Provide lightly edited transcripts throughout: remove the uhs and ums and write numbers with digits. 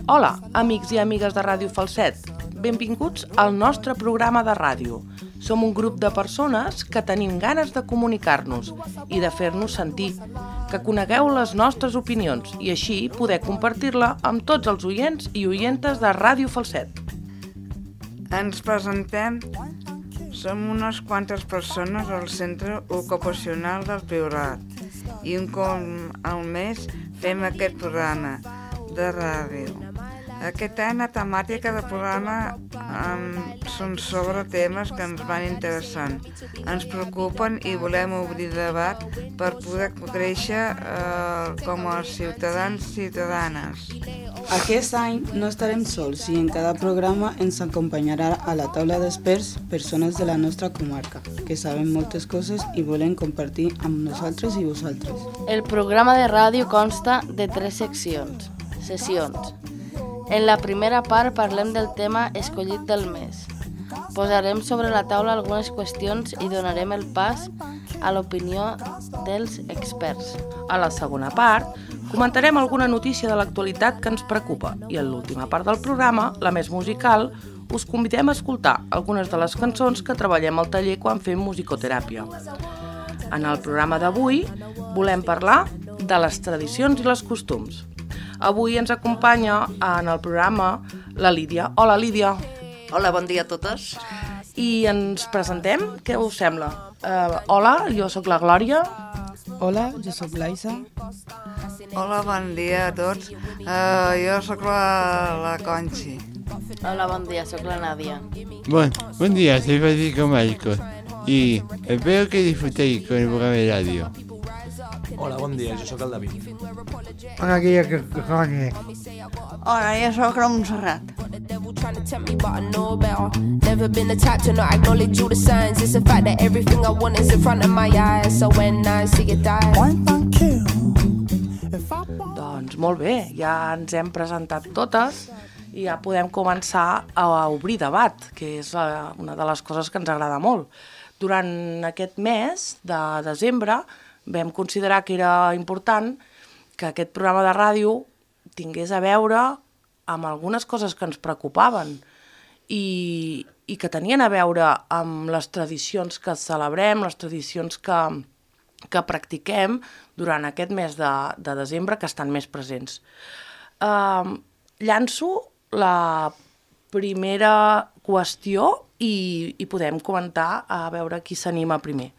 Hola, amics i amigues de Ràdio Falset. Benvinguts al nostre programa de ràdio. Som un grup de persones que tenim ganes de comunicar-nos i de fer-nos sentir, que conegueu les nostres opinions i així poder compartir-la amb tots els oients i oientes de Ràdio Falset. Ens presentem. Som unes quantes persones al Centre Ocupacional del Priorat i un cop al mes fem aquest programa de ràdio. Aquest any la temàtica del programa són sobre temes que ens van interessant, ens preocupen i volem obrir debat per poder créixer com a ciutadans i ciutadanes. Aquest any no estarem sols i en cada programa ens acompanyarà a la taula d'experts persones de la nostra comarca que saben moltes coses i volen compartir amb nosaltres i vosaltres. El programa de ràdio consta de 3 sessions. En la primera part parlem del tema escollit del mes. Posarem sobre la taula algunes qüestions i donarem el pas a l'opinió dels experts. A la segona part, comentarem alguna notícia de l'actualitat que ens preocupa i en l'última part del programa, la més musical, us convidem a escoltar algunes de les cançons que treballem al taller quan fem musicoteràpia. En el programa d'avui volem parlar de les tradicions i els costums. Avui ens acompanya en el programa la Lídia. Hola, Lídia. Hola, bon dia a totes. I ens presentem? Què us sembla? Hola, jo sóc la Glòria. Hola, jo sóc l'Aisa. Hola, bon dia a tots. Jo sóc la Conchi. Hola, bon dia, sóc la Nàdia. Buen día, soy Francisco Marcos y espero que disfrutéis con el programa de radio. Hola, bon dia, jo sóc el David. Hola, que coño. Hola, jo sóc la Montserrat. Doncs molt bé, ja ens hem presentat totes i ja podem començar a obrir debat, que és una de les coses que ens agrada molt. Durant aquest mes de desembre vam considerar que era important que aquest programa de ràdio tingués a veure amb algunes coses que ens preocupaven i que tenien a veure amb les tradicions que celebrem, les tradicions que practiquem durant aquest mes de desembre que estan més presents. Llanço la primera qüestió i podem comentar a veure qui s'anima primer.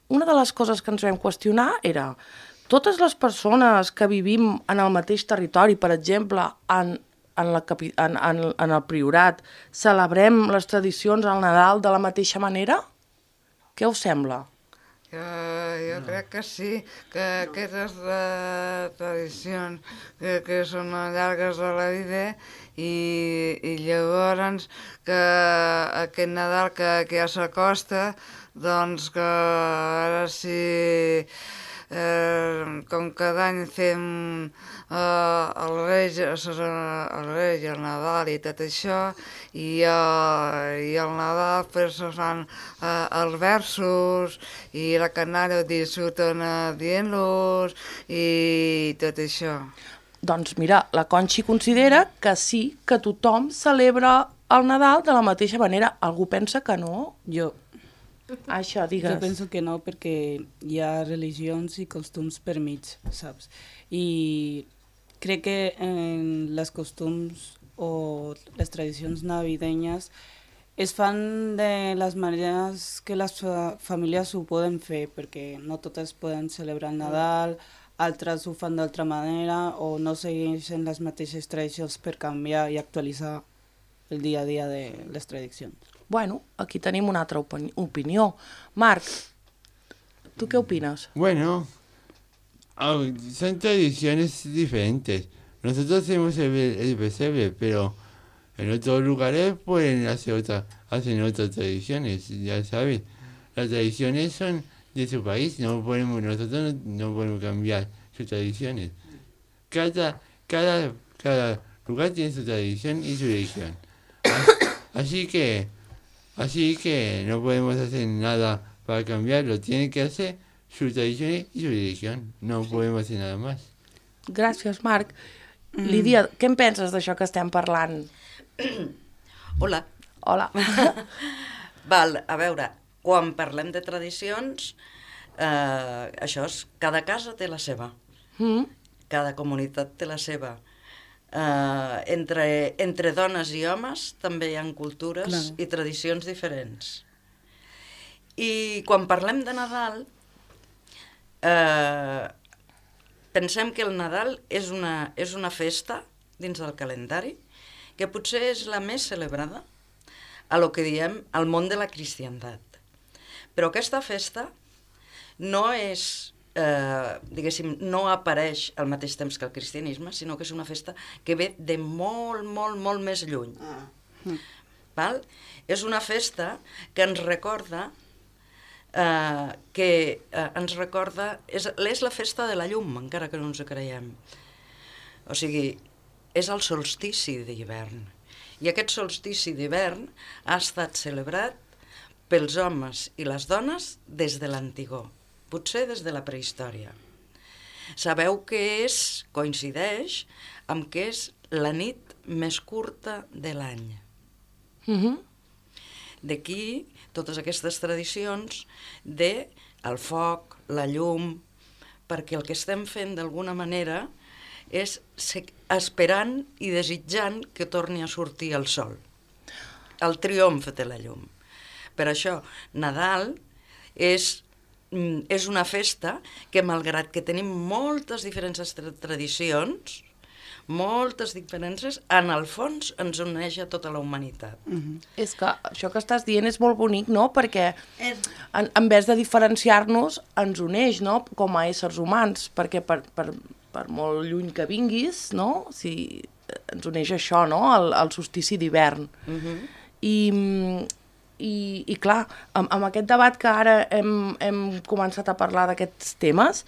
Una de les coses que ens vam qüestionar era totes les persones que vivim en el mateix territori, per exemple, en el Priorat, celebrem les tradicions al Nadal de la mateixa manera? Què us sembla? Jo crec que sí, que aquestes tradicions que són llargues de la vida i llavors que aquest Nadal que ja s'acosta, doncs que ara sí, com cada any fem el Reis, el Nadal i tot això, i el Nadal se fan els versos i la canalla disfruten dient-los i tot això. Doncs mira, la Conchi considera que sí, que tothom celebra el Nadal de la mateixa manera. Algú pensa que no? Jo digues. Jo penso que no, perquè hi ha religions i costums per mig, saps? I crec que les costums o les tradicions navidenyes es fan de les maneres que les famílies ho poden fer, perquè no totes poden celebrar el Nadal, altres ho fan d'altra manera o no segueixen les mateixes tradicions per canviar i actualitzar el dia a dia de les tradicions. Bueno, aquí tenim una altra opinió. Marc, ¿tú qué opinas? Bueno, son tradiciones diferentes. Nosotros hacemos el pesebre, pero en otros lugares pueden hacen otras tradiciones, ya sabes. Las tradiciones son de su país, nosotros no podemos cambiar sus tradiciones. Cada lugar tiene su tradición y su religión. Así que no podemos hacer nada para cambiarlo. Tiene que hacer sus tradiciones y su religión. No podemos hacer nada más. Gràcies, Marc. Lídia, què en penses d'això que estem parlant? Hola. Hola. Val, a veure, quan parlem de tradicions, això és, cada casa té la seva. Cada comunitat té la seva. Entre dones i homes també hi ha cultures i tradicions diferents. I quan parlem de Nadal, pensem que el Nadal és una festa dins del calendari que potser és la més celebrada a lo que diem al món de la cristiandat. Però aquesta festa no és, diguéssim, no apareix al mateix temps que el cristianisme, sinó que és una festa que ve de molt, molt, molt més lluny. Val? És una festa que ens recorda és la festa de la llum, encara que no ens ho creiem. O sigui, és el solstici d'hivern. I aquest solstici d'hivern ha estat celebrat pels homes i les dones des de l'antigor, potser des de la prehistòria. Sabeu que coincideix amb que és la nit més curta de l'any. D'aquí totes aquestes tradicions del foc, la llum, perquè el que estem fent d'alguna manera és esperant i desitjant que torni a sortir el sol, el triomf de la llum. Per això, Nadal és una festa que, malgrat que tenim moltes diferents tradicions, moltes diferències, en el fons ens uneix a tota la humanitat. És que això que estàs dient és molt bonic, no? Perquè en vez de diferenciar-nos, ens uneix, no? Com a éssers humans, perquè per molt lluny que vinguis, no? Si ens uneix això, no? El solstici d'hivern. I clar, amb aquest debat que ara hem començat a parlar d'aquests temes,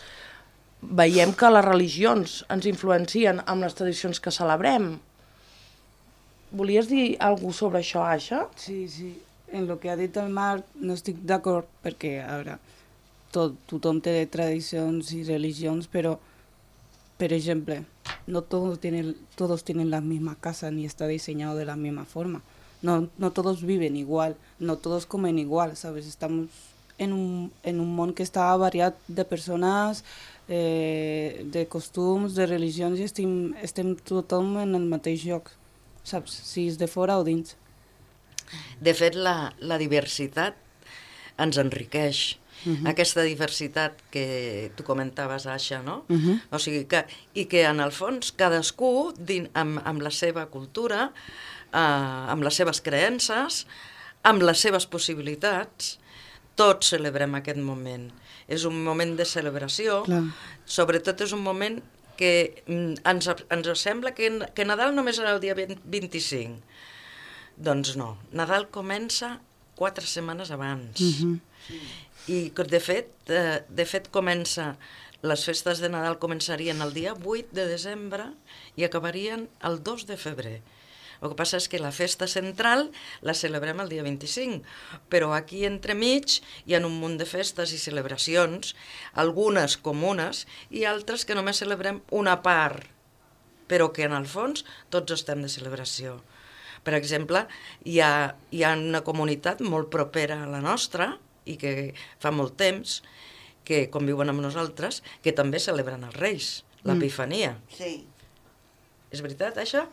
veiem que les religions ens influencien amb les tradicions que celebrem. Volies dir alguna cosa sobre això, Aixa? Sí. En lo que ha dit el Marc no estic d'acord perquè, a veure, tothom té tradicions i religions, però, per exemple, no todos tienen la misma casa ni está diseñado de la misma forma. No todos viven igual, no todos comen igual, ¿sabes? Estamos en un món que està variat de persones, de costums, de religions, i estem tothom en el mateix lloc, saps? Si és de fora o dins. De fet, la diversitat ens enriqueix. Aquesta diversitat que tu comentaves, Aixa, no? O sigui que en el fons cadascú, amb la seva cultura, amb les seves creences, amb les seves possibilitats, tots celebrem aquest moment. És un moment de celebració, sobretot és un moment que ens sembla que Nadal només era el dia 25. Doncs no, Nadal comença 4 setmanes abans. I de fet les festes de Nadal començarien el dia 8 de desembre i acabarien el 2 de febrer. El que passa és que la festa central la celebrem el dia 25, però aquí entremig hi ha un munt de festes i celebracions, algunes comunes i altres que només celebrem una part, però que en el fons tots estem de celebració. Per exemple, hi ha una comunitat molt propera a la nostra i que fa molt temps que conviuen amb nosaltres, que també celebren els Reis, l'Epifania. Sí. És veritat, això?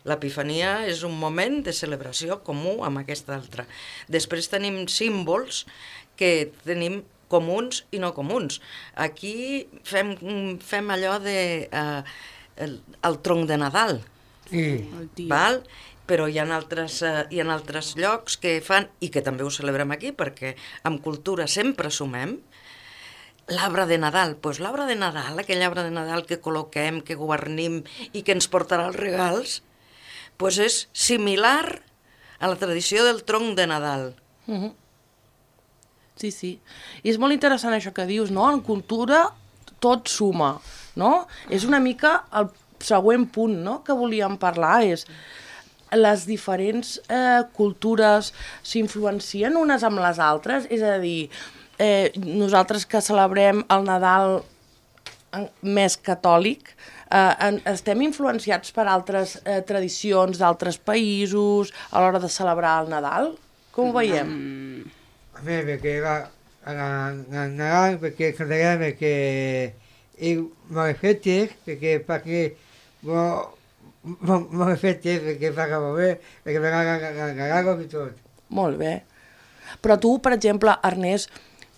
L'Epifania és un moment de celebració comú amb aquesta altra. Després tenim símbols que tenim comuns i no comuns. Aquí fem allò el tronc de Nadal, val? Però hi ha altres llocs que fan, i que també ho celebrem aquí, perquè amb cultura sempre sumem, l'arbre de Nadal. Doncs l'arbre de Nadal, aquell arbre de Nadal que col·loquem, que guarnim i que ens portarà els regals, doncs és similar a la tradició del tronc de Nadal. Sí. I és molt interessant això que dius, no? En cultura tot suma, no? És una mica el següent punt, no?, que volíem parlar, és les diferents cultures s'influencien unes amb les altres? És a dir, nosaltres que celebrem el Nadal més catòlic, estem influenciats per altres tradicions d'altres països a l'hora de celebrar el Nadal? Com ho veiem? A me perché Nadal, perché cantare perché mi rifletti, perché mi rifletti perché fa capire, perché mi regalo di tot. Molt bé. Però tu, per exemple, Ernest,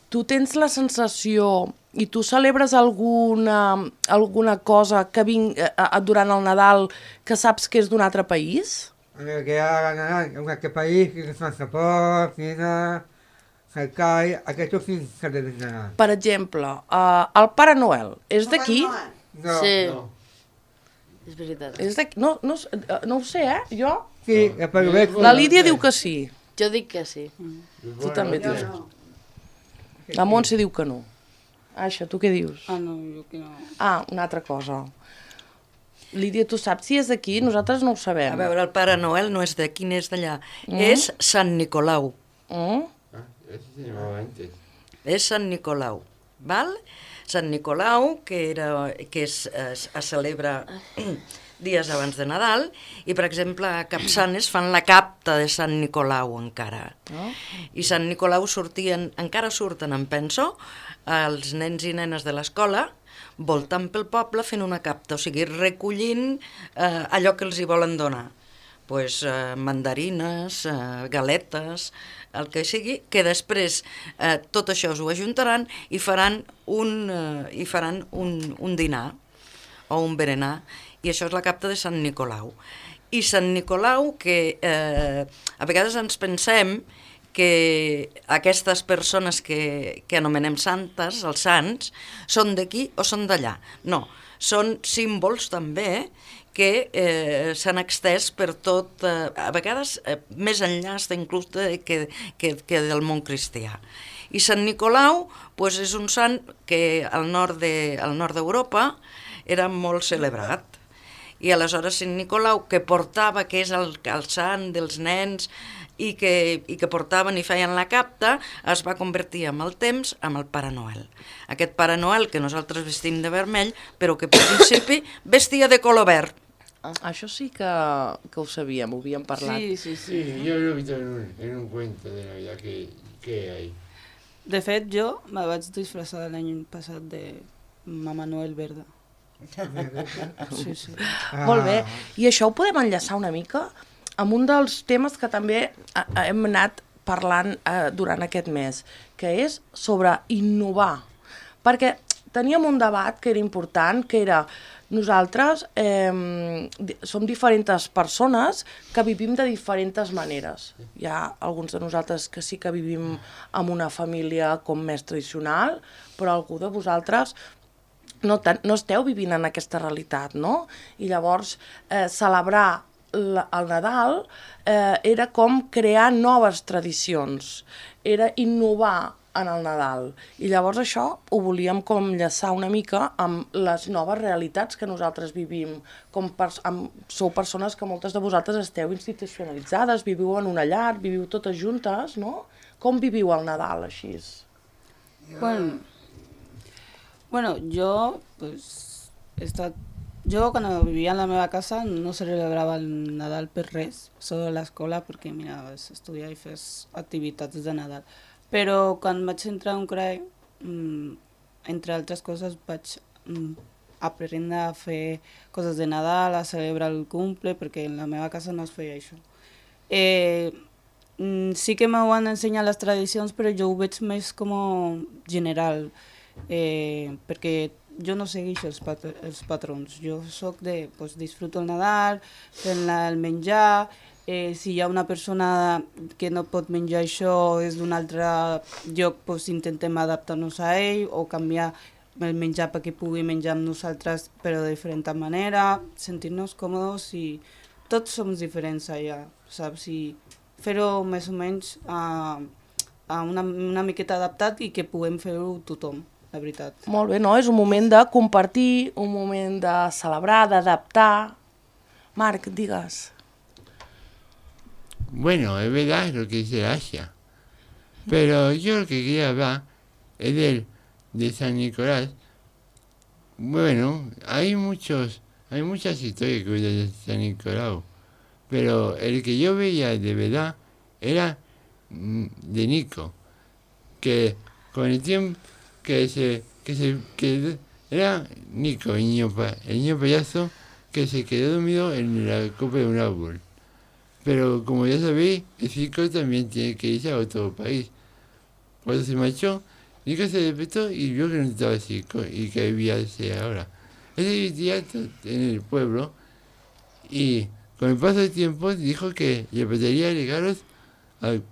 tu tens la sensació i tu celebres alguna cosa que durant el Nadal que saps que és d'un altre país? Perché Nadal è un altro paese, che sono Sapor, China, Hakai, aquests sí que tenen Nadal. Per exemple, el Pare Noel és d'aquí? No. Sí. No. És veritat. És d'aquí? No ho sé, Jo? Sí, però veig... La Lídia diu que sí. Jo dic que sí. Tu també dius. La Montse diu que no. Aixa, tu què dius? No, jo que no. Una altra cosa. Lídia, tu saps si és d'aquí? Nosaltres no ho sabem. A veure, el Pare Noel no és d'aquí ni és d'allà. És Sant Nicolau. Eso se llamaba antes. És Sant Nicolau, val? Sant Nicolau, que es celebra dies abans de Nadal, i, per exemple, a Capçanes fan la capta de Sant Nicolau encara. I Sant Nicolau encara surten, em penso, els nens i nenes de l'escola, voltant pel poble fent una capta, o sigui, recollint allò que els hi volen donar. Pues, mandarines, galetes, el que sigui, que després tot això us ho ajuntaran i faran un dinar o un berenar, i això és la capta de Sant Nicolau. I Sant Nicolau, que a vegades ens pensem que aquestes persones que anomenem santes, els sants, són d'aquí o són d'allà. No, són símbols també que s'han extès per tot, a vegades més enllà inclús que del món cristià. I Sant Nicolau és un sant que al nord d'Europa era molt celebrat. I aleshores Sant Nicolau, que portava, que és el sant dels nens, i que portaven i feien la capta, es va convertir amb el temps en el Pare Noel. Aquest Pare Noel que nosaltres vestim de vermell, però que per principi vestia de color verd. Això sí que ho sabíem, ho havíem parlat. Sí. Sí, yo lo he visto en un cuento de Navidad que hay. De fet, jo me vaig disfressar l'any passat de Mama Noel verda. Sí. Molt bé. I això ho podem enllaçar una mica amb un dels temes que també hem anat parlant durant aquest mes, que és sobre innovar. Perquè teníem un debat que era important, que era nosaltres som diferents persones que vivim de diferents maneres. Hi ha alguns de nosaltres que sí que vivim en una família com més tradicional, però algú de vosaltres no esteu vivint en aquesta realitat, no? I llavors celebrar el Nadal era com crear noves tradicions, era innovar en el Nadal. I llavors això ho volíem com enllaçar una mica amb les noves realitats que nosaltres vivim. Sou persones que moltes de vosaltres esteu institucionalitzades, viviu en una llar, viviu totes juntes, no? Com viviu el Nadal així? Bueno, jo quan vivia en la meva casa no celebrava el Nadal per res, solo a l'escola perquè miraves estudiar i fes activitats de Nadal. Però quan vaig entrar a un CRAE, entre altres coses, vaig aprendre a fer coses de Nadal, a celebrar el cumple, perquè en la meva casa no es feia això. Sí que m'ho han ensenyat les tradicions, però jo ho veig més com general, perquè jo no segueixo els patrons. Jo soc de, disfruto el Nadal, fent el menjar. Si hi ha una persona que no pot menjar això, és d'un altre lloc, intentem adaptar-nos a ell o canviar el menjar perquè pugui menjar amb nosaltres, però de diferent manera, sentir-nos còmodes i tots som diferents allà, saps? I fer-ho més o menys a una miqueta adaptat i que puguem fer-ho tothom, la veritat. Molt bé, no? És un moment de compartir, un moment de celebrar, d'adaptar. Marc, digues. bueno, es verdad lo que dice Asia. Pero yo lo que quería hablar es de San Nicolás. Bueno, hay muchas historias que cuentan de San Nicolás, pero el que yo veía de verdad era de Nico, que con el tiempo que era Nico, el niño payaso que se quedó dormido en la copa de un árbol. Pero como ya sabéis, el circo también tiene que irse a otro país. Cuando se marchó, Nico se despertó y vio que no estaba el circo y que había ahora. Él se vivía en el pueblo y con el paso del tiempo dijo que le prepararía regalos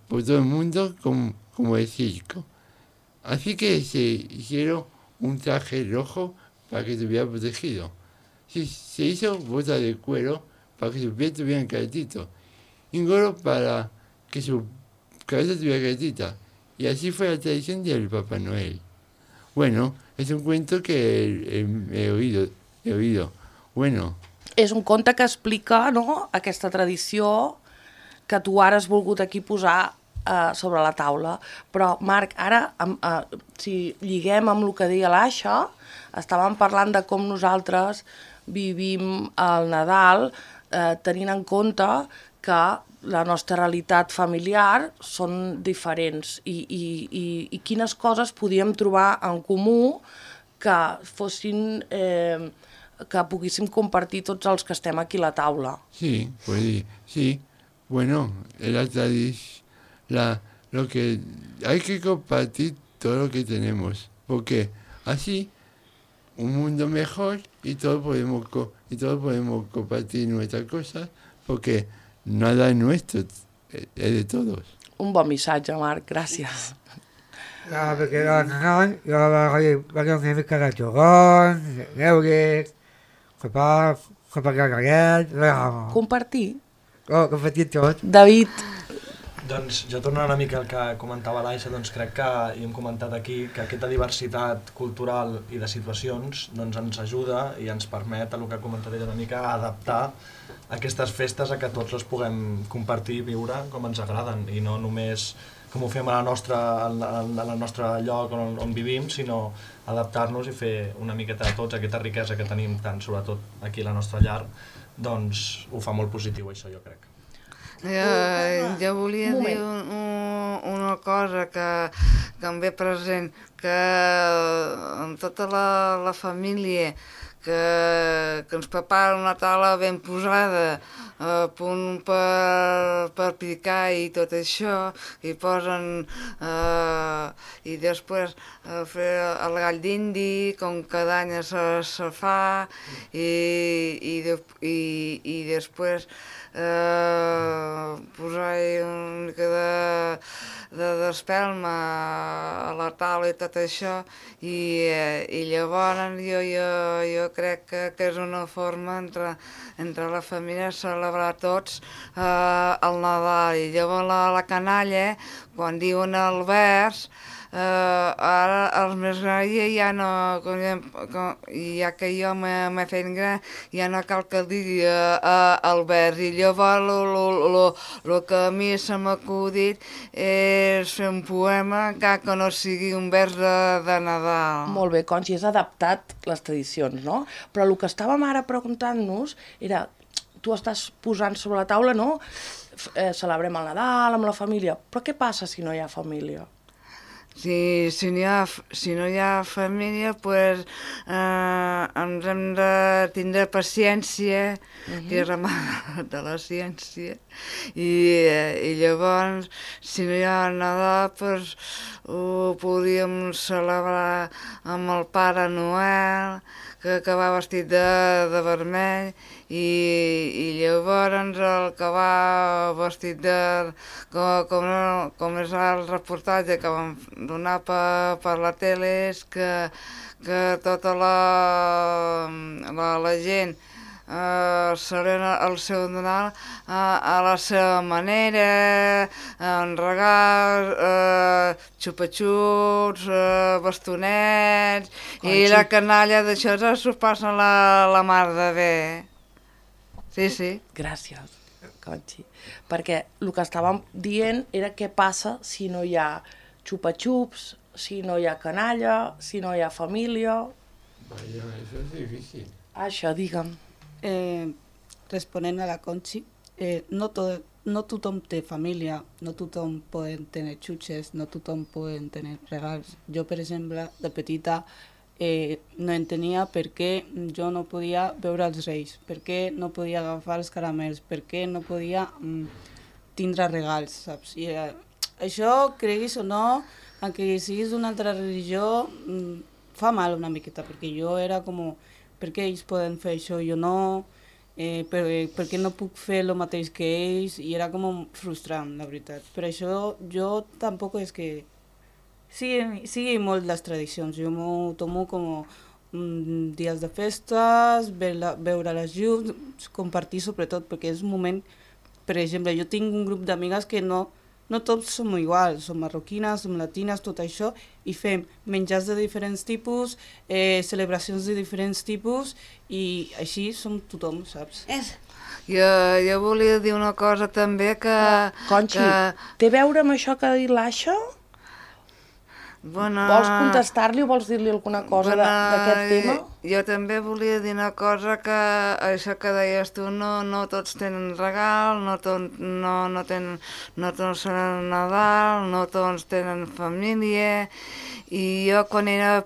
por todo el mundo como el circo. Así que se hicieron un traje rojo para que estuviera protegido. Se hizo botas de cuero para que sus pies tuvieran calentitos. Y un gorro para que su cabeza tuviera calentita. Y así fue la tradición del Papá Noel. Bueno, és un cuento que he oído. Bueno. És un conte que explica, no?, aquesta tradició que tu ara has volgut aquí posar sobre la taula. Però, Marc, ara, si lliguem amb el que deia l'Aixa, estàvem parlant de com nosaltres vivim el Nadal tenint en compte que la nostra realitat familiar són diferents i quines coses podíem trobar en comú que fossin... que poguéssim compartir tots els que estem aquí a la taula. Sí, pues sí. Bueno, la tradición, lo que hay que compartir todo lo que tenemos, porque así un mundo mejor y todos podemos compartir nuestras cosas, porque nada es nuestro, es de todos. Un bon missatge, Marc, gràcies. Perquè el Nadal va donar una mica de torrons, d'euros, Compartir? Compartir tot. David. Doncs jo tornant una mica al que comentava l'Aixa, doncs crec que, i hem comentat aquí, que aquesta diversitat cultural i de situacions doncs ens ajuda i ens permet, el que ha comentat ella una mica, a adaptar aquestes festes a que tots les puguem compartir i viure com ens agraden i no només com ho fem al nostre lloc on vivim, sinó adaptar-nos i fer una miqueta de tots, aquesta riquesa que tenim tant, sobretot aquí a la nostra llar, doncs ho fa molt positiu això, jo crec. Jo volia dir una cosa que em ve present, que amb tota la família que ens prepara una taula ben posada a punt per picar i tot això, i posen i després fer el gall d'indi, com cada any se fa, i després posar-hi una mica d'espelma a la taula i tot això, i llavors jo crec que és una forma entre la família celebrar tots el Nadal. I llavors la canalla, quan diuen el vers, ara els més grans ja no, ja que jo m'he fet gran, ja no cal que digui el vers, i llavors el que a mi se m'ha acudit és fer un poema que no sigui un vers de Nadal. Molt bé, Conxi, has adaptat les tradicions, no? Però el que estàvem ara preguntant-nos era, tu estàs posant sobre la taula, no? Celebrem el Nadal amb la família, però què passa si no hi ha família? Si no hi ha família, doncs ens hem de tindre paciència, que és la mare de la ciència, i llavors, si no hi ha Nadal, doncs ho podríem celebrar amb el Pare Noel, que va vestit de vermell, i llavors el que va vestit com és el reportatge que vam donar per la tele, és que tota la gent celebra el seu Nadal a la seva manera, amb regals, xupa-xups, bastonets, i la canalla d'això s'ho passa la mar de bé. Sí. Gràcies. Conxi. Perquè el que estàvem dient era què passa si no hi ha xupa-xups, si no hi ha canalla, si no hi ha família... Vaya, eso es difícil. Això, digue'm. Responent a la Conxi, no tothom té família, no tothom poden tenir xutxes, no tothom poden tenir regals. Jo, per exemple, de petita no entenia per què jo no podia veure els reis, per què no podia agafar els caramels, per què no podia tindre regals, saps? I això, creguis o no, encara siguis d'una altra religió, fa mal una miqueta, perquè jo era com, per què ells poden fer això, jo no, per què no puc fer el mateix que ells, i era com frustrant, la veritat. Per això jo tampoc és que sigui molt les tradicions, jo m'ho tomo com dies de festes, veure les llums, compartir sobretot, perquè és un moment, per exemple, jo tinc un grup d'amigues que no tots som iguals, som marroquines, som latines, tot això, i fem menjars de diferents tipus, celebracions de diferents tipus, i així som tothom, saps? Jo volia dir una cosa també que... Conxi, té a veure amb això que ha dit l'Aixa? Bueno, vols contestar-li o vols dir-li alguna cosa d'aquest tema? Jo també volia dir una cosa, que això que deies tu, no tots tenen regal, no tots són Nadal, no tots tenen família, i jo quan era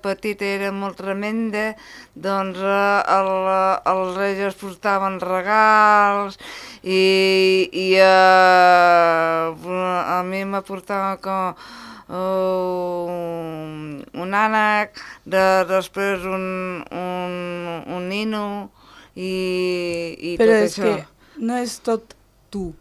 petita era molt tremenda, doncs els reis es portaven regals, i a mi me portava com un ànec, després un nino i però tot és això. Que no és tot tu,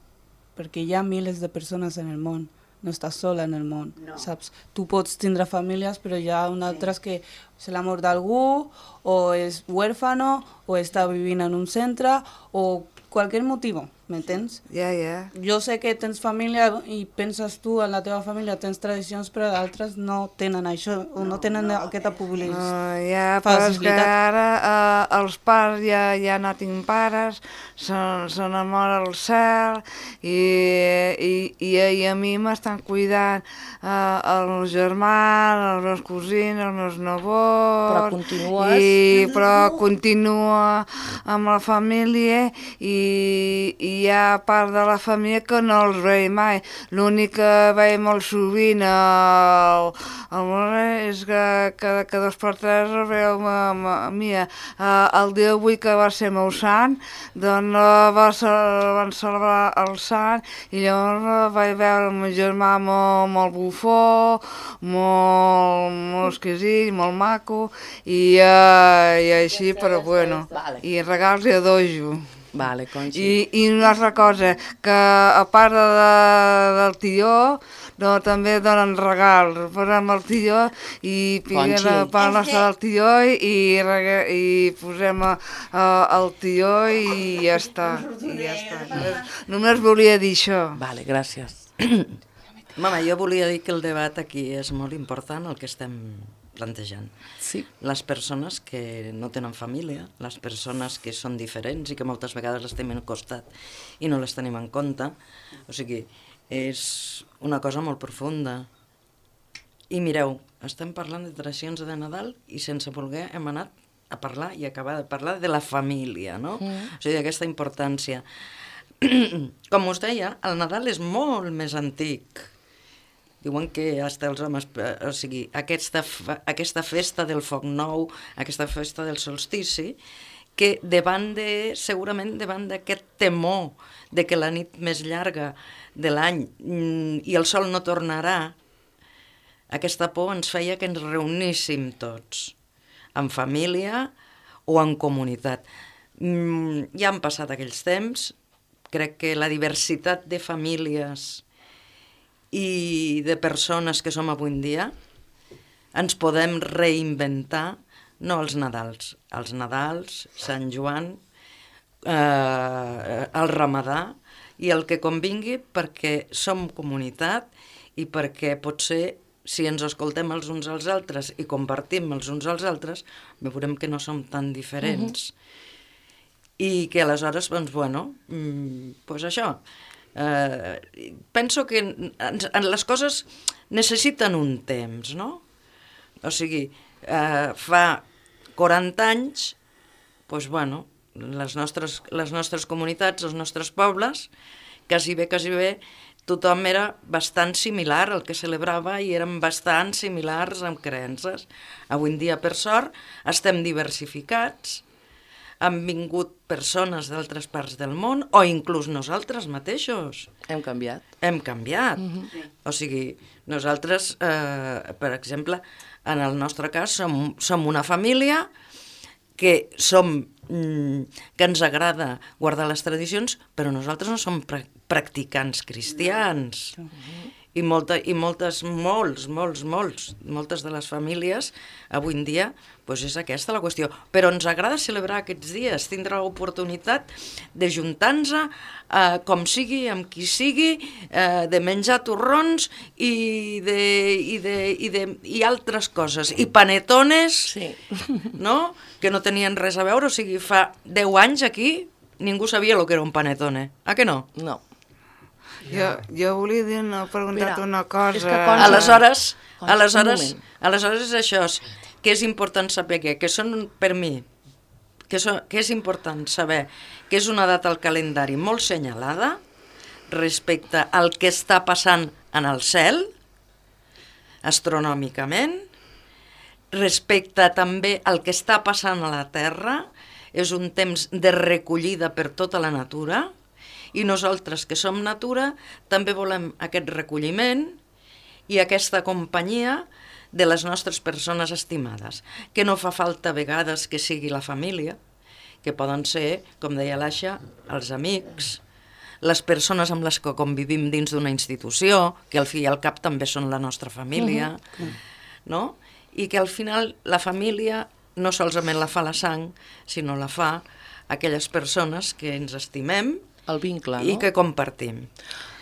perquè hi ha milers de persones en el món, no estàs sola en el món, saps? Tu pots tindre famílies, però hi ha altres que és l'amor d'algú, o és huérfano, o està vivint en un centre, o qualsevol motiu, m'entens? Jo sé que tens família i penses tu en la teva família, tens tradicions, però d'altres no tenen això, o no tenen aquesta facilitat. Però és que ara els pares, ja no tinc pares, són amor al cel, i a mi m'estan cuidant els meus germans, els meus cosins, els meus nebots... Però continues... Però continua amb la família, i hi ha part de la família que no els veig mai. L'únic que veig molt sovint és que cada 2 per 3 el veu mia. El dia 8, que va ser meu sant, doncs van celebrar el sant, i llavors vaig veure el meu germà molt bufó, molt exquisit, molt maco, i així, però bueno, i regals i dojo. Vale, Conxi. I una altra cosa, que a part del tió, també donen regals. Posem el tió i piquem la part nostra del tió i posem el tió i ja està. Només volia dir això. Vale, gràcies. Mama, jo volia dir que el debat aquí és molt important, el que estem plantejant. Sí. Les persones que no tenen família, les persones que són diferents i que moltes vegades les tenim al costat i no les tenim en compte, o sigui, és una cosa molt profunda. I mireu, estem parlant de tradicions de Nadal i sense voler hem anat a parlar i acabar de parlar de la família, no? O sigui, d'aquesta importància. Com us deia, el Nadal és molt més antic. Diuen que hasta els homes, o sigui, aquesta festa del foc nou, aquesta festa del solstici, que segurament davant d'aquest temor de que la nit més llarga de l'any i el sol no tornarà, aquesta por ens feia que ens reuníssim tots, en família o en comunitat. Ja han passat aquells temps, crec que la diversitat de famílies i de persones que som avui en dia, ens podem reinventar, no els Nadals, Sant Joan, el Ramadà, i el que convingui, perquè som comunitat i perquè potser, si ens escoltem els uns als altres i compartim els uns als altres, veurem que no som tan diferents. i que aleshores, doncs, bueno, doncs això, penso que les coses necessiten un temps, no? O sigui, fa 40 anys, doncs, bueno, les nostres comunitats, els nostres pobles, quasi bé, tothom era bastant similar al que celebrava i eren bastant similars amb creences. Avui en dia, per sort, estem diversificats, han vingut persones d'altres parts del món o inclús nosaltres mateixos. Hem canviat. Hem canviat. O sigui, nosaltres, per exemple, en el nostre cas, som una família que ens agrada guardar les tradicions, però nosaltres no som practicants cristians. I moltes de les famílies avui en dia doncs és aquesta la qüestió. Però ens agrada celebrar aquests dies, tindre l'oportunitat de juntar-nos com sigui, amb qui sigui, de menjar torrons i altres coses. I panetones, Sí. no? Que no tenien res a veure. O sigui, fa 10 anys aquí ningú sabia el que era un panetone. Ah que no? No. Jo volia dir, no, preguntar una cosa. és que Concha- Aleshores és això, que és important saber que són, per mi, que és important saber que és una data al calendari molt senyalada respecte al que està passant en el cel, astronòmicament, respecte també al que està passant a la Terra, és un temps de recollida per tota la natura, i nosaltres, que som natura, també volem aquest recolliment i aquesta companyia de les nostres persones estimades, que no fa falta a vegades que sigui la família, que poden ser, com deia l'Aixa, els amics, les persones amb les que convivim dins d'una institució, que al fi i al cap també són la nostra família, no? I que al final la família no solament la fa la sang, sinó la fa aquelles persones que ens estimem, El vincle, no? i que compartim.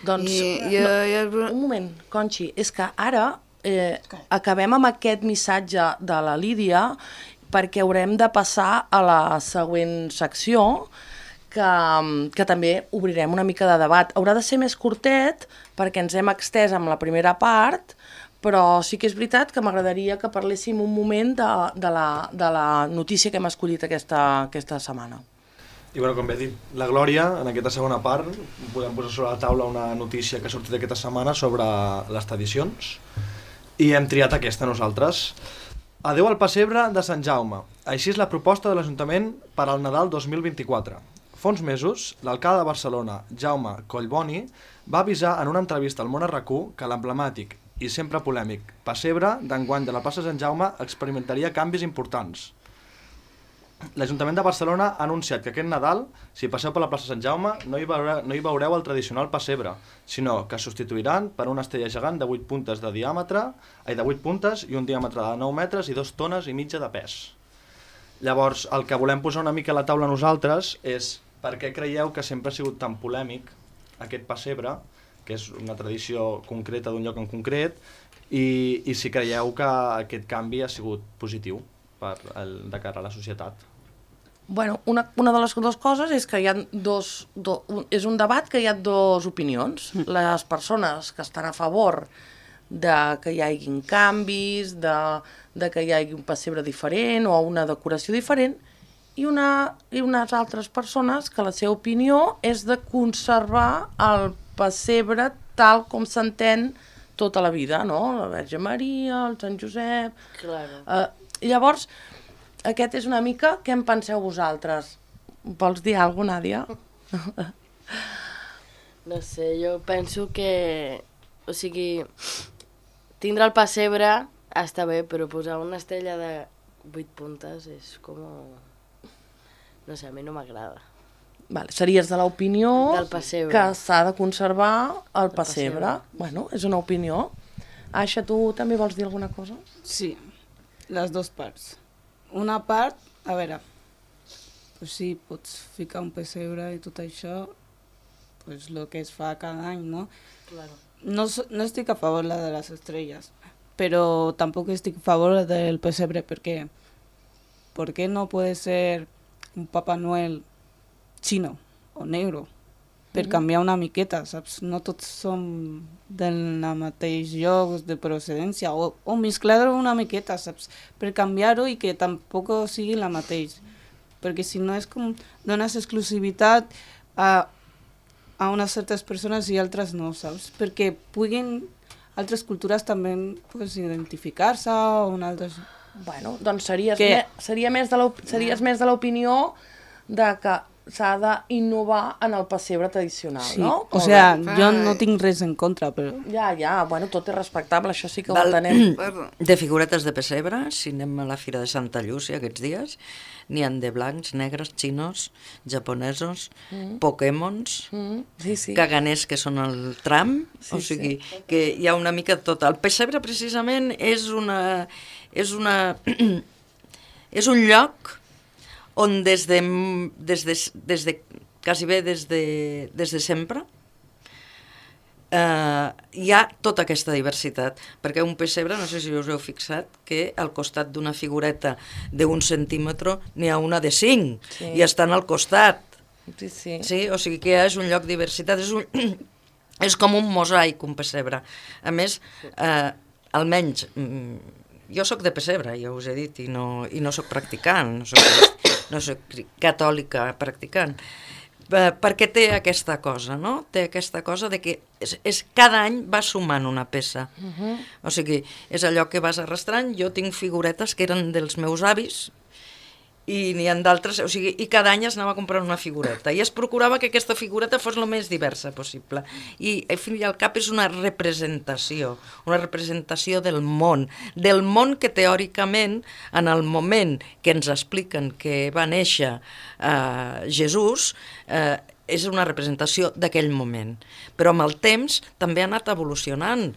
Doncs, un moment, Conxi, és que ara acabem amb aquest missatge de la Lídia perquè haurem de passar a la següent secció que també obrirem una mica de debat. Haurà de ser més curtet perquè ens hem extès amb la primera part, però sí que és veritat que m'agradaria que parléssim un moment de la notícia que hem escollit aquesta setmana. I bueno, com bé dit la Glòria, en aquesta segona part podem posar sobre la taula una notícia que ha sortit aquesta setmana sobre les tradicions i hem triat aquesta nosaltres. Adeu al pessebre de Sant Jaume. Així és la proposta de l'Ajuntament per al Nadal 2024. Fa uns mesos, l'alcalde de Barcelona, Jaume Collboni, va avisar en una entrevista al Món RQ que l'emblemàtic i sempre polèmic pessebre d'enguany de la plaça Sant Jaume experimentaria canvis importants. L'Ajuntament de Barcelona ha anunciat que aquest Nadal, si passeu per la plaça Sant Jaume, no hi veureu el tradicional pessebre, sinó que es substituiran per una estrella gegant de 8 puntes de diàmetre, de 8 puntes i un diàmetre de 9 metres i 2 tones i mitja de pes. Llavors, el que volem posar una mica a la taula nosaltres és per què creieu que sempre ha sigut tan polèmic aquest pessebre, que és una tradició concreta d'un lloc en concret, i si creieu que aquest canvi ha sigut positiu de cara a la societat. Bueno, una de les dues coses és que hi ha és un debat que hi ha dues opinions. Les persones que estan a favor de que hi hagin canvis, de que hi hagi un pessebre diferent o una decoració diferent, i unes altres persones que la seva opinió és de conservar el pessebre tal com s'entén tota la vida, no? La Verge Maria, el Sant Josep... Claro. Llavors, aquest és una mica què en penseu vosaltres. Vols dir alguna cosa, Nàdia? No sé, jo penso que... O sigui, tindre el pessebre està bé, però posar una estrella de 8 puntes és com... No sé, a mi no m'agrada. Vale, series de l'opinió que s'ha de conservar el pessebre. Bueno, és una opinió. Aixa, tu també vols dir alguna cosa? Sí, les dues parts. Una part, a veure, pues sí, pots ficar un pessebre i tot això, pues el que es fa cada any, ¿no? Claro. No estic a favor de les estrelles, però tampoc estic a favor del pessebre, perquè ¿por qué no puede ser un Papá Noel xino o negro, per canviar una miqueta, saps? No tots som del mateix lloc de procedència, o mesclar-ho una miqueta, saps? Per canviar-ho i que tampoc sigui la mateix. Perquè si no és com dones exclusivitat a unes certes persones i altres no, saps? Perquè puguin altres cultures també pues, identificar-se o un altre... Bueno, doncs series més de l'opinió de que s'ha d'innovar en el pessebre tradicional, sí. no? O sigui, jo no tinc res en contra, però... Ja, bueno, tot és respectable, això sí que ho entenem. De figuretes de pessebre, si anem a la Fira de Santa Llúcia aquests dies, n'hi ha de blancs, negres, xinos, japonesos, Pokémons, caganers, que són el tram, o sigui, que hi ha una mica de tot. El pessebre, precisament, és un lloc on des de quasi bé des de sempre hi ha tota aquesta diversitat, perquè un pessebre, no sé si us heu fixat, que al costat d'una figureta d'1 centímetre n'hi ha una de 5 i estan al costat. Sí, o sigui que és un lloc de diversitat, és com un mosaic, un pessebre. A més, almenys, jo sóc de pessebre, ja us he dit, i no sóc practicant, no soc catòlica practicant, perquè té aquesta cosa, no? Té aquesta cosa de que cada any va sumant una peça. O sigui, és allò que vas arrastrant. Jo tinc figuretes que eren dels meus avis i n'hi ha d'altres, o sigui, i cada any es anava a comprar una figureta i es procurava que aquesta figureta fos el més diversa possible. I al fin i al cap és una representació del món que teòricament, en el moment que ens expliquen que va néixer Jesús, és una representació d'aquell moment. Però amb el temps també ha anat evolucionant,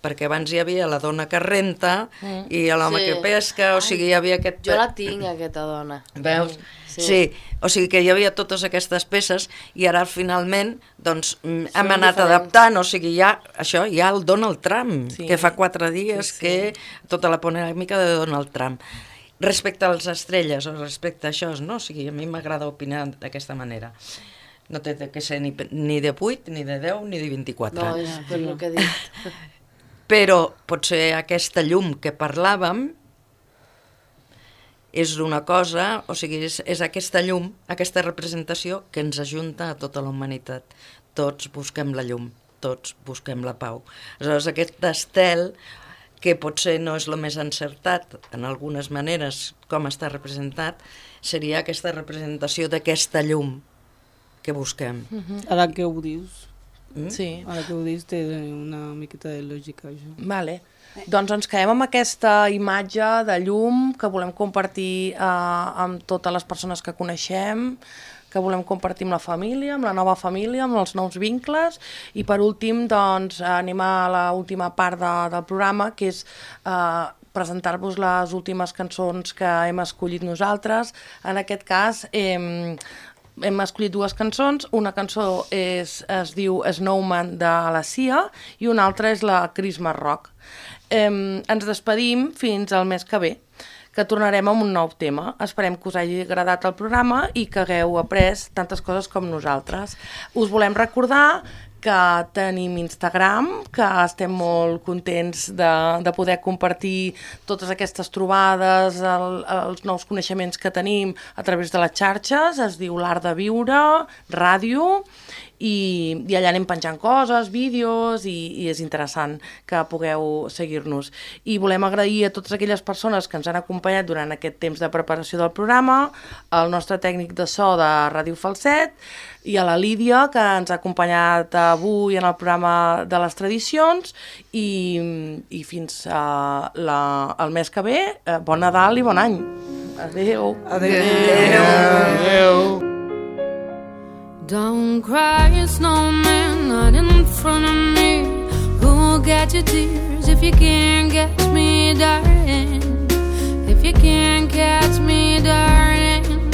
perquè abans hi havia la dona que renta i l'home que pesca, o sigui, hi havia aquest... Jo la tinc, aquesta dona. Veus? Sí, o sigui que hi havia totes aquestes peces i ara finalment doncs hem anat adaptant, o sigui, hi ha el Donald Trump, que fa 4 dies que tota la polèmica de Donald Trump. Respecte a les estrelles o respecte a això, no? O sigui, a mi m'agrada opinar d'aquesta manera. No té que ser ni de 8, ni de 10, ni de 24. No, és per el que he dit. Però potser aquesta llum que parlàvem és una cosa, o sigui, és aquesta llum, aquesta representació que ens ajunta a tota la humanitat. Tots busquem la llum, tots busquem la pau. Aleshores, aquest estel, que potser no és el més encertat en algunes maneres com està representat, seria aquesta representació d'aquesta llum que busquem. Ara que ho dius, Ara que ho dius té una miqueta de lògica, això. Vale. Doncs ens quedem amb aquesta imatge de llum que volem compartir amb totes les persones que coneixem, que volem compartir amb la família, amb la nova família, amb els nous vincles, i per últim doncs anem a l'última part del programa, que és presentar-vos les últimes cançons que hem escollit nosaltres. En aquest cas hem escollit 2 cançons, una cançó es diu Snowman de la Sia i una altra és la Christmas Rock. Ens despedim fins al mes que ve, que tornarem amb un nou tema. Esperem que us hagi agradat el programa i que hagueu après tantes coses com nosaltres. Us volem recordar que tenim Instagram, que estem molt contents de poder compartir totes aquestes trobades, els nous coneixements que tenim a través de les xarxes. Es diu l'Art de Viure, ràdio, i allà anem penjant coses, vídeos, i és interessant que pugueu seguir-nos. I volem agrair a totes aquelles persones que ens han acompanyat durant aquest temps de preparació del programa, al nostre tècnic de so de Ràdio Falset, i a la Lídia, que ens ha acompanyat avui en el programa de les tradicions, i fins al mes que ve, bon Nadal i bon any. Adéu. Adéu. Don't cry, snowman, not in front of me. Who'll get your tears if you can't catch me, darling? If you can't catch me, darling.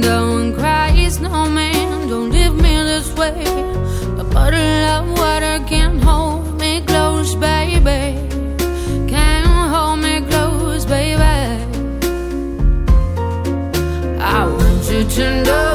Don't cry, snowman, don't leave me this way. A bottle of water can't hold me close, baby. Can't hold me close, baby. I want you to know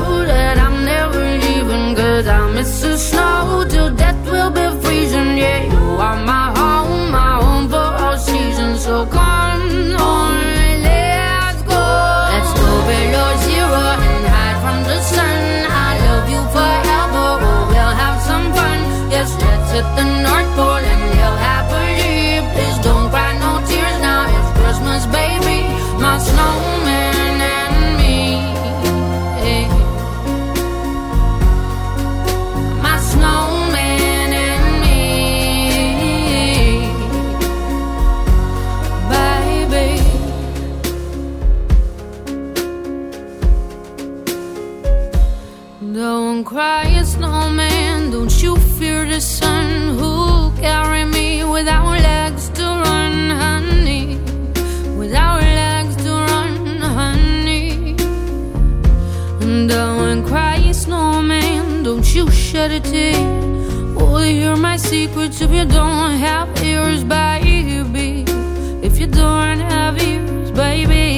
hit the North Pole and live happily. Please don't cry no tears now, it's Christmas, baby. My snowman and me. My snowman and me, baby. Don't cry, snowman, don't you fear the sun. Who'll carry me without legs to run, honey? Without legs to run, honey. Don't cry, snowman, don't you shed a tear. Will you hear my secrets if you don't have ears, baby? If you don't have ears, baby.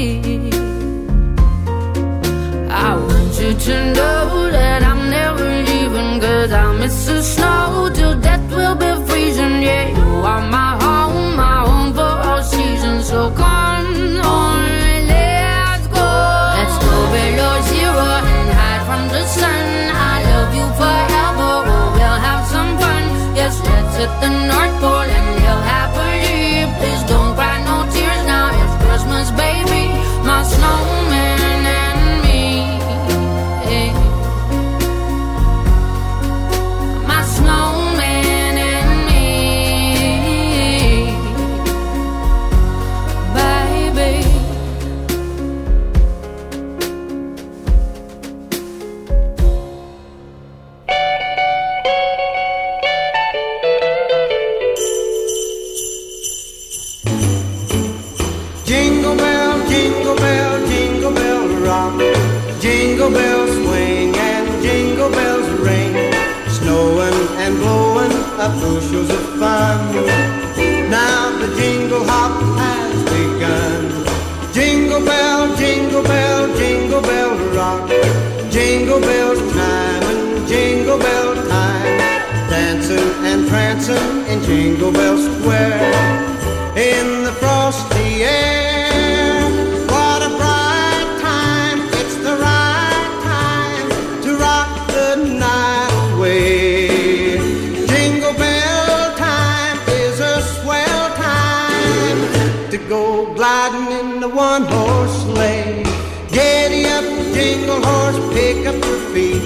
I want you to know that I'm never leaving, 'cause I miss the snow till death will be freezing. Yeah, you are my home for all seasons. So come on, let's go. Let's go below zero and hide from the sun. I love you forever, oh, we'll have some fun. Yes, let's hit the North Pole and live happily. Please don't cry no tears now, it's Christmas, baby. My snowman and me. My snowman and me, baby. Jingle bell, jingle bell, jingle bell rock. Jingle bells swing and jingle bells ring. Snowing and blowing up bushels of fun. Now the jingle hop has begun. Jingle bell, jingle bell, jingle bell rock. Jingle bells chime and jingle bell time. Dancing and prancing in Jingle Bell Square. In the frosty air, what a bright time. It's the right time to rock the night away. Jingle bell time is a swell time to go gliding in the one-horse sleigh. Giddy up, jingle horse, pick up your feet.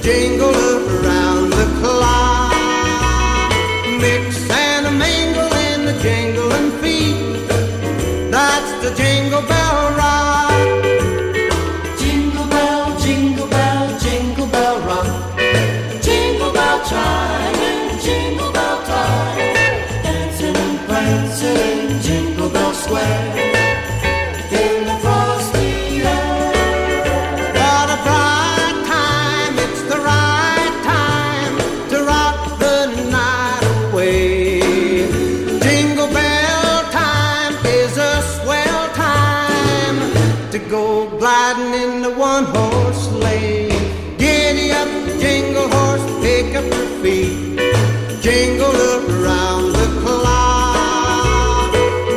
Jingle around the clock. Mix and a mingle in the jingling feet. That's the Jingle Bell Rock. Jingle bell, jingle bell, jingle bell rock. Jingle bell chime and jingle bell time. Dancing and prancing in Jingle Bell Square. In the frosty air. What a bright time, it's the right time to rock the night away. Jingle bell time is a swell time to go gliding in the one-horse sleigh. Giddy up, jingle horse, pick up your feet. Jingle around the clock.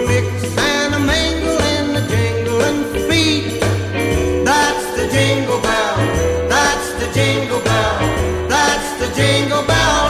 Mix and a mingle in the jingling feet. That's the jingle bell, that's the jingle bell, that's the jingle bell